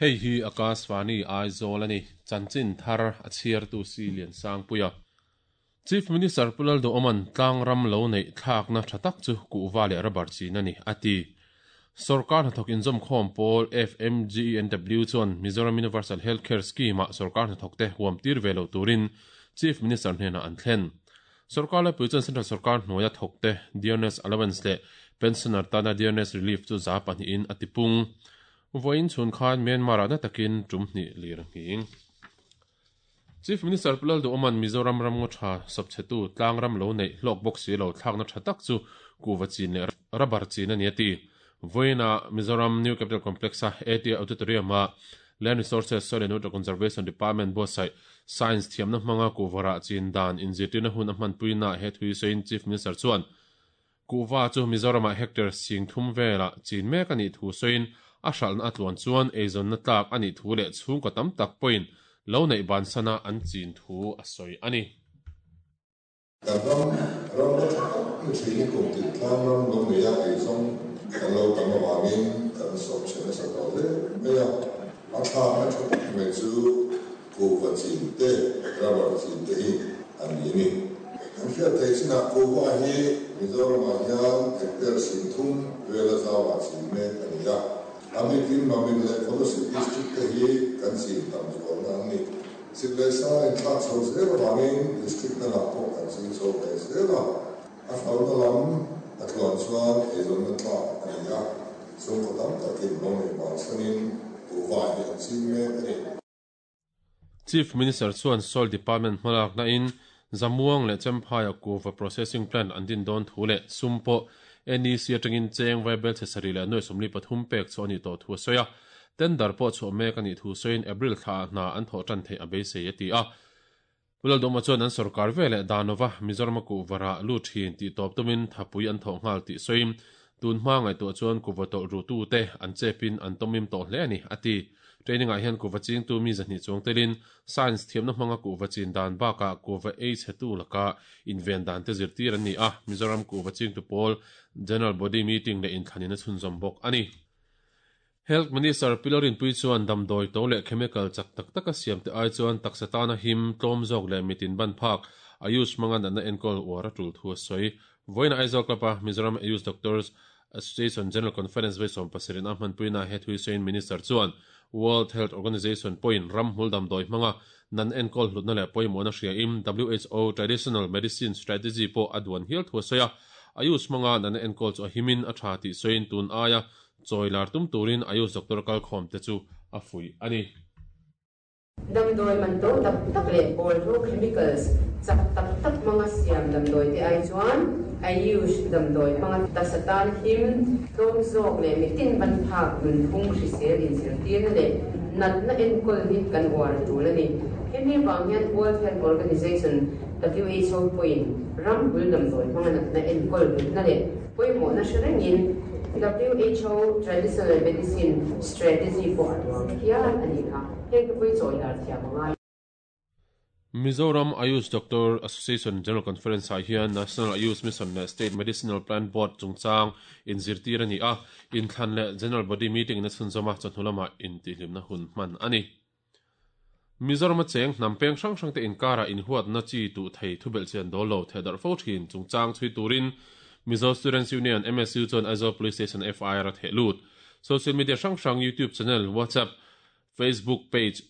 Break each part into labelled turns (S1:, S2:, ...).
S1: Hei hi Akashvani Aizawl a ni, chanchin thar a chhiartu si Liansangpuia. Chief Minister Pu Lalduhawma'n tlang ram lo neih thlakna tha tak chu kuhva leh rubber chin a ni, a ti. Sorkar hnathawk inzawmkhawm pawl FMGENW chuan Mizoram Universal Health Care Scheme-ah sorkar hnathawkte huam tir ve lo turin Chief Minister hnenah an thlen. Sorkar laipui chuan Central sorkar hnuaia thawkte Dearness Allowance leh Pensioner tana Dearness Relief chu za pahnihin a tipung. Vawiin chhun khan Myanmar-ah na takin tum hnih lir a nghing. Chief Minister Pu Lalduhawma'n Mizoram ramngaw tha sawpchhetu tlang ram lo neih hlawk bawk si lo thlakna tha tak chu kuhva chin leh rubber chin a ni a ti. Vawiinah Mizoram New Capital Complex-a AT Auditorium-ah Land Resources, Soil and Water Conservation Department buatsaih Science thiamna hmanga kuhva rah chin dan inzirtirna hun a hmanpuinaah he thui sawiin Chief Minister chuan Kuhva chu Mizoramah hectare 3000 velah chin mek a nih thu sawiin a hralhna a tluan chuan eizawnna tlak a nih thu leh chhungkaw tam tak pawhin lo neih bansana an chin thu a sawi a ni.
S2: Kan ram ramna tha tak ni thin hi kum tin tlang ram lo neia eizawng kan lo tam avangin kan sawp chhe nasa tawh hle mai a. A thlakna tha tak mai chu kuhva chin te, rubber chin te hi an ni a ni. Kan hriat theih chinah kuhva hi Mizoramah hian hectare 30,000 vela zauah chin mek a ni a. A bikin Mamit leh Kolasib District te hi kan chin tam zualna an ni. Sik leh sa inthlak chho zel avangin District dangah pawh kan ching chho ve zel a. A hlauhna lam a tluan chuan eizawnna tlak a ni a, chhungkaw tam takin lo neih bansanin kuhva hi an ching mek a ni.
S1: Chief Minister chuan Soil Department hmalakna in Zamuang leh Chemphaiah kuhva processing plant an din dawn thu leh sum pawh NEC atangin cheng vaibel chhe sarih leh nuai 43 pek chu a nih tawh thu a sawi a. Tender pawh chhuah mek a nih thu sawiin April thlaah hna an thawh tan theih a beisei a ti a. Pu Lalduhma chuan an sorkar ve leh Danova Mizorama kuhva rah lut thin tih tawp tumin thapui an thawh nghal tih sawiin tun hma ngaihtuah chuan kuhva tawlh ruhtute an chepin an tawmim tawh hle a ni, a ti. Training ah hian kuhva chingtu mi 200 chuang telin Science thiamna hmanga kuhva chin dan bakah kuhva ei chhetu laka inven dan te zirtir an ni a, Mizoram kuhva chingtu pawl General Body Meeting leh inthlan in a chhunzawm bawk a ni. Health Minister Pi Lalrinpuii chuan damdawi to leh chemical chak tak taka siam te ai chuan taksa tana him, tlawm zawk leh mitin ban phak, Ayush hmanga natna enkawl uar a tul thu a sawi. Vawiin Aizawl Club-a Mizoram Ayush Doctors Association General Conference vawi 70 in a hmanpuina he thui sawiin Minister chuan World Health Organization pawhin ram hmul damdawi hmanga nan enkawl hlutna leh pawimawhna hriain WHO Traditional Medicine Strategy pawh a duan hial thu a sawi a. Ayush hmanga natna enkawl chu a himin a tha tih sawiin tun aia Chawi lar tum turin Ayush doctor kalkhawm te chu a fuih a ni.
S3: Damdawi man to tak tak leh bawlhhlawh chemicals chak tak tak hmanga siam damdawi te ai chuan Ayush damdawi hmanga taksa tan him, tlawm zawk leh mitin ban phak nunphung hrisel inzirtirna leh natna enkawl hi kan uar a tul a ni. Hemi vang hian World Health Organization, WHO, pawhin ram bul damdawi hmanga natna enkawl hlutna leh Pawimawhna hre rengin WHO Traditional Medicine Strategy pawh a duang hial a nih kha. Heng te pawh hi chawi lar thiam a ngai.
S1: Mizoram Ayush Doctor Association General Conference ah hian National Ayush Mission leh State Medicinal Plant Board chungchang inzirtir a ni a, inthlan leh General Body Meeting in a chhunzawm a, chawhnu lamah intihhlimna hun hman a ni. Mizorama cheng hnam peng hrang hrangte inkarah inhuatna chi tuh thei thubelh chian dawl lo thehdarh fo thin chungchang chhui turin Mizo Students Union, MSU, chuan Aizawl Police Station FIR a theh lut. Social media hrang hrang YouTube channel, WhatsApp, Facebook page,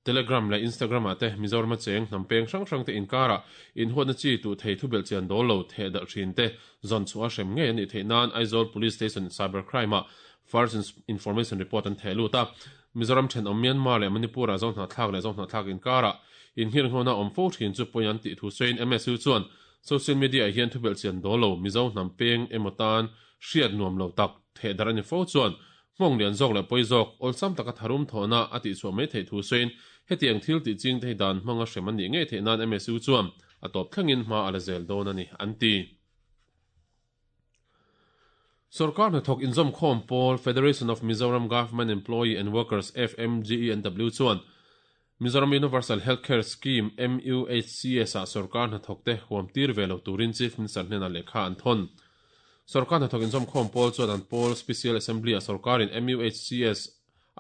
S1: Telegram leh Instagram ah te Mizorama cheng hnam peng hrang hrangte inkarah inhuatna chi tuh thei thubelh chian dawl lo thehdarh thin te zawn chhuah a hrem ngei a nih theih nan Aizawl Police Station Cyber Crime ah First Information Report an theh lut a. Mizoram thenawm Myanmar leh Manipur-ah Zohnahthlak leh Zohnahthlak inkarah inhirnghawna awm fo thin chu pawi an tih thu sawiin MSU chuan social media-ah hian thubelh chian dawl lo Mizo hnam peng emaw tan hriat nuam lo tak thehdarh a ni fo chuan nghawng lian zawk leh pawi zawk awlsam taka tharum thawhna a tihchhuah mai theih thu sawiin hetiang thil tih ching te hi dan hmanga hrem an nih ngei theih nan MSU chuan a tawp thlengin hma a la zel dawn a ni an ti. Sorkar hnathawk inzawmkhawm pawl Federation of Mizoram Government Employee and Workers, FMGENW, chuan Mizoram Universal Health Care Scheme, MUHCS, ah sorkar hnathawkte huam tir ve lo turin Chief Minister hnenah lehkha an thawn. Sorkar hnathawk inzawmkhawm pawl chuan an pawl Special Assembly-ah sorkarin MUHCS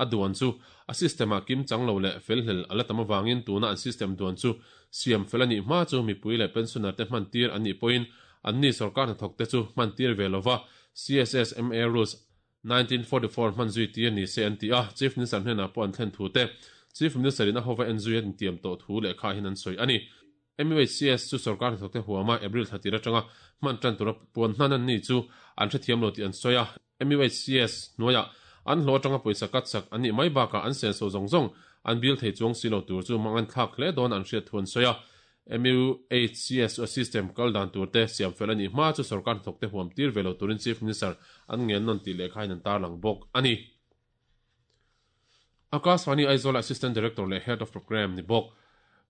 S1: a duan chu a system ah kimchang lo leh felhlel a la tam avangin tuna an system duan chu siam fel a nih hma chu mipui leh pensioner te hman tir an nih pawhin anni sorkar hnathawk te chu hman tir ve lova CSSMA Rules 1944 hman zui tir ni se an ti a, Chief Minister hnenah pawh an thlen thu te Chief Minister in a hova en zui a intiam tawh thu lehkha hian an sawi a ni. MUHCS chu sorkar hnathawkte huama April thla tir atanga hman tan tura puan hnan an ni chu an hrethiam lo tih an sawi a. MUHCS hnuaiah an hlawh atanga pawisa cut sak an nih mai bakah an senso zawng zawng an bil thei chuang si lo tur chu mang thlak hle dawn an hriat thu an sawi a. MUHCS chu a system kal dan tur te siam fel a nih hma chu sorkar hnathawkte huam tir ve lo turin Chief Minister an ngen nawn tih lehkhain an tarlang bawk a ni. Akashvani Aizawl Assistant Director leh Head of Programme ni bawk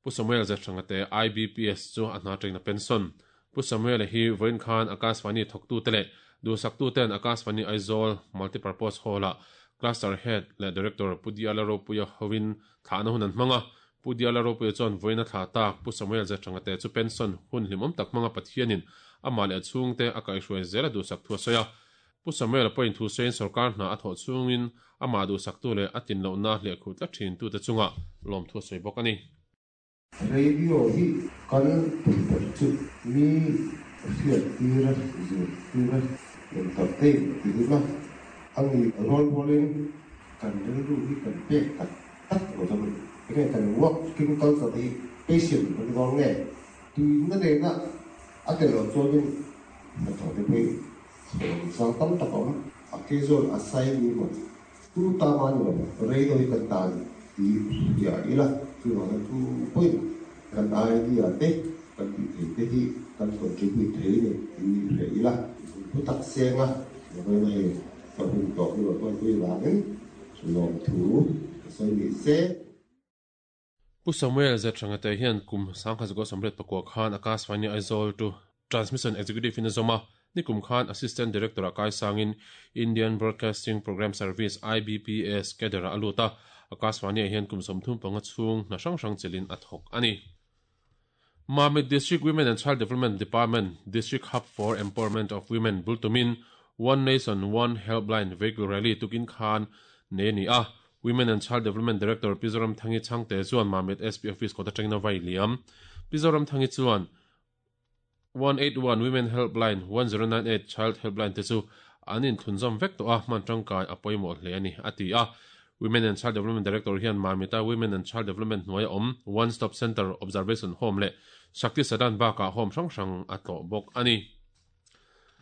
S1: Pu Samuel Zethanga te IBPS chu a hna tengna pension. Pu Samuel-a hi vawiin khan Akashvani thawktute leh duhsaktuten Akashvani Aizawl Multipurpose Hall-ah Cluster Head leh Director Pu Diala Ropuia hovin thlahna hun an hmang a. Pu Diala Ropuia chuan vawiin a thlah tak Pu Samuel Zethanga te chu pension hun hlimawm tak hmanga Pathianin amah leh a chhungte a kaihhruai zel a duhsak thu a sawi a. Pu Samuel-a pawhin thu sawiin sorkar hna a thawh chhungin amah duhsaktu leh a tin lohna hliahkhuh tlat thintute chungah lawmthu a sawi bawk a ni.
S2: Radio hi kan tum ber chu mi hriat tir a, zir tir a, entertain ti ila a ni rual rualin kan rilru hi kan pek tak tak lo chuan enge kan working culture te hi patient kan ni dawn nge tuina nena a tel loh chuanin hnathawh te pawh hi Thawm sang tam tak a awm. A ke zawn a sai ni maw? Tu ta mah ni lo, rei deuh hi kan tan ti hria ila, chuvangin tu pawhin kan idea te, kan tih theih te hi kan contribute thei ni ti hria ila. Thu tak senga vawiin hei ka hun tawh ni lo pawnpui vangin lawmthu ka sawi ni se.
S1: Pu Samuel Zethangate hian kum 1984 khan Akashvani Aizawl to Transmission Executive in a zawm a, nikum khan Assistant Director ah kaisangin Indian Broadcasting Programme Service, IBPS, cadre ah a lut a, Akashvani ah hian kum 35 chhung hna hrang hrang chelhin a thawk a ni. Mamit District Women and Child Development Department, District Hub for Empowerment of Women bul tumin One Nation One Helpline Vehicle Rally tukin khan nei a ni a, Women and Child Development Director Pi Zoramthangi Chhangte chuan Mamit SP Office kawt atangin a vai liam. Pi Zoramthangi chuan 181 Women Helpline, 1098 Child Helpline te chu an inthlunzawm vek tawh a, hman tangkai a pawimawh hle a ni, a ti a. Women and Child Development Director hian Mamita Women and Child Development hnuaia awm One Stop Centre, Observation Home leh Shakti Sadan bakah home hrang hrang a tlawh bawk a ni.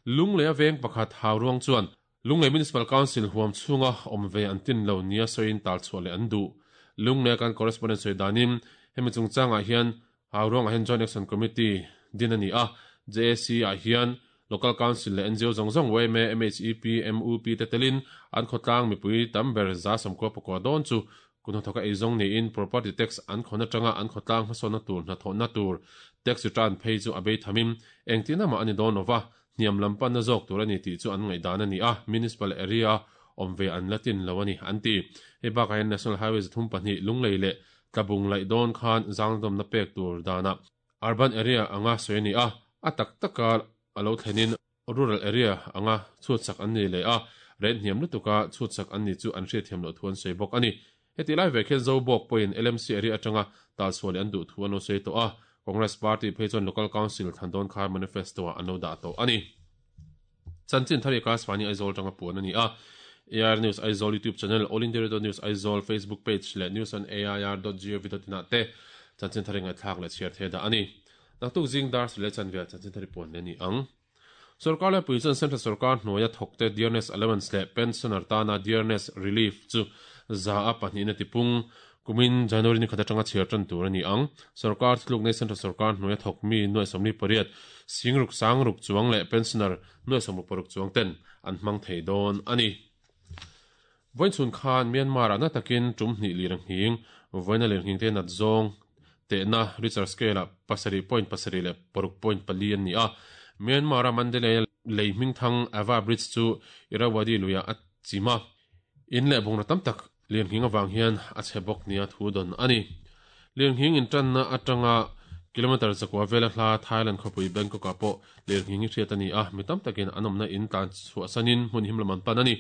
S1: Lungleia veng pakhat Hauruang chuan Lunglei Municipal Council huam chhunga awm ve an tin lo nia sawiin tal chhuah leh an duh. Lunglei kan correspondent sawi danin hemi chungchangah hian Hauruangah hian Joint Action Committee din a ni a, JAC ah hian Local Council leh ngo zawng zawng yma, MHEP, MUP te telin an khawtlang mipui tam ber 194 dawn chu kut hnathawka eizawng niin property tax an khawn atanga an khawtlang hmasawnna tur hnathawhna tur tax return phei chu a bei thamin engtin amah a ni dawn lova Hniam lam panna zawk tur a ni tih chu an ngaihdan a ni a, Municipal area awm ve an la tin lo a ni, an ti. Hei bakah hian National Highway 32 Lunglei leh Tlabung laih dawn khan zangdawmna pek tur danah Urban area anga sawi a ni a, a tak taka a lo thlenin Rural area anga chhutsak an ni leh a, rate hniam lutuka chhutsak an ni chu an hriatthiam loh thu an sawi bawk a ni. Heti lai vek hian Zobawk pawhin LMC area atanga talchhuah leh an duh thu an lo sawi tawh a, Congress party phei chuan Local Council thlan dawn kha manifesto-ah an lo dah tawh a ni. Chanchin thar hi Akashvani Aizawl atanga puan a ni a, AIR News Aizawl YouTube channel, All India Radio News Aizawl Facebook page leh news on air dot gov dot in ah te chanchin thar hi ngaihthlak leh chhiar thei dah a ni. Naktuk zing dar sir leh chanve ah chanchin thar hi puan leh a ni ang. Sorkar laipui chuan Central sorkar hnuaia thawkte Dearness Allowance leh Pensioner tana Dearness Relief chu 100% a tipung. Kumin January ni khat atanga chhiar tan tur a ni ang. Sorkar thiluk nei Central sorkar hnuaia thawk mi 28 singruk sangruk chuang leh Pensioner 66 chuang ten an hmang thei dawn a ni. Vawiinchhun khan Myanmar-ah na takin tum hnih lir a nghing. Vawiina lir nghing te nat zawng tehna Richter scale-ah pasarih point pasarih leh paruk point pali an ni a. Myanmar-a Mandalay-a lei hmingthang Ava Bridge chu Irrawaddy luiah a chim a. In leh bungraw tam tak lirnghing avang hian a chhe bawk nia thu dawn a ni. Lirnghing intanna atanga kilometre zakua vela hla Thailand khawpui Bangkok-ah pawh lirnghing hi hriat a ni a, mi tam takin an awmna in tlan chhuahsanin hmun him lam an pan a ni.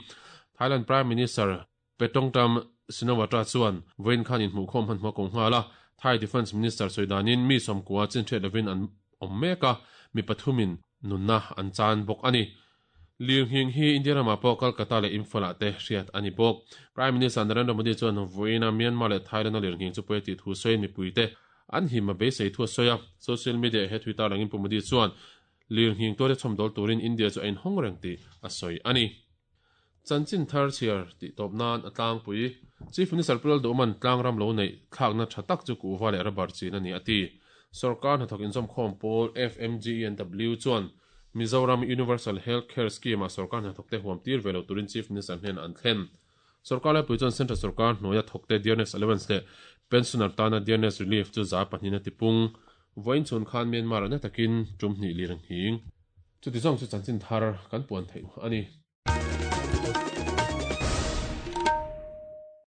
S1: Thailand Prime Minister Paetongtarn Shinawatra chuan vawiin khan inhmuhkhawm hmanhmawh a ko nghal a, Thai Defence Minister sawi danin mi 90 chin hriat lovin an awm mek a, mi pathumin nunna an chan bawk a ni. Lirnghing hi India ramah pawh Kolkata leh Imphal-ah te hriat a ni bawk. Prime Minister Narendra Modi chuan vawiina Myanmar leh Thailand-a lirnghing chu pawi a tih thu sawiin mipuite an him a beisei thu a sawi a. Social media-ah he thui tarlangin Pu Modi chuan lirnghing tuarte chhawmdawl turin India chu a inhawng reng tih a sawi a ni. Chanchin thar chhiar tih tawp nan a tlangpui. Chief Minister Pu Lalduhman tlangram lo neih thlakna tha tak chu kuhva leh rubber chin a ni a ti. Sorkar hnathawk inzawmkhawm pawl FMGENW chuan Mizoram Universal Health Care Scheme-ah sorkar hnathawkte huam tir ve lo turin Chief Minister hnenah an thlen. Sorkar laipui chuan Central sorkar hnuaia thawkte Dearness Allowance leh Pensioner tana Dearness Relief chu 2% a tipung. Vawiin chhun khan Myanmar-ah na takin tum hnih lir ang hing. Chuti zawng chu chanchin thar kan puan theih a ni.